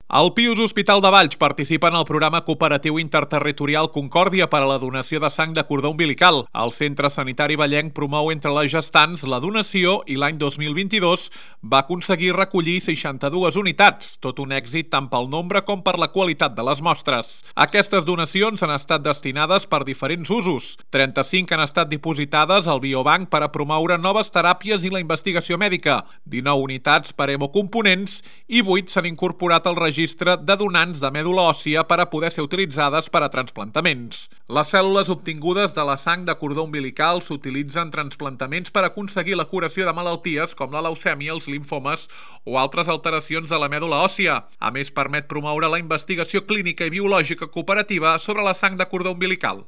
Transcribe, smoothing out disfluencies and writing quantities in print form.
El Pius Hospital de Valls participa en el programa cooperatiu interterritorial Concòrdia per a la donació de sang de cordó umbilical. El Centre Sanitari Vallenc promou entre les gestants la donació i l'any 2022 va aconseguir recollir 62 unitats, tot un èxit tant pel nombre com per la qualitat de les mostres. Aquestes donacions han estat destinades per diferents usos. 35 han estat dipositades al biobanc per a promoure noves teràpies i la investigació mèdica, 19 unitats per hemocomponents i 8 s'han incorporat al registre de donants de mèdula òssia per a poder ser utilitzades per a trasplantaments. Les cèl·lules obtingudes de la sang de cordó umbilical s'utilitzen en trasplantaments per aconseguir la curació de malalties com la leucèmia, els limfomes o altres alteracions de la mèdula òssia. A més, permet promoure la investigació clínica i biològica cooperativa sobre la sang de cordó umbilical.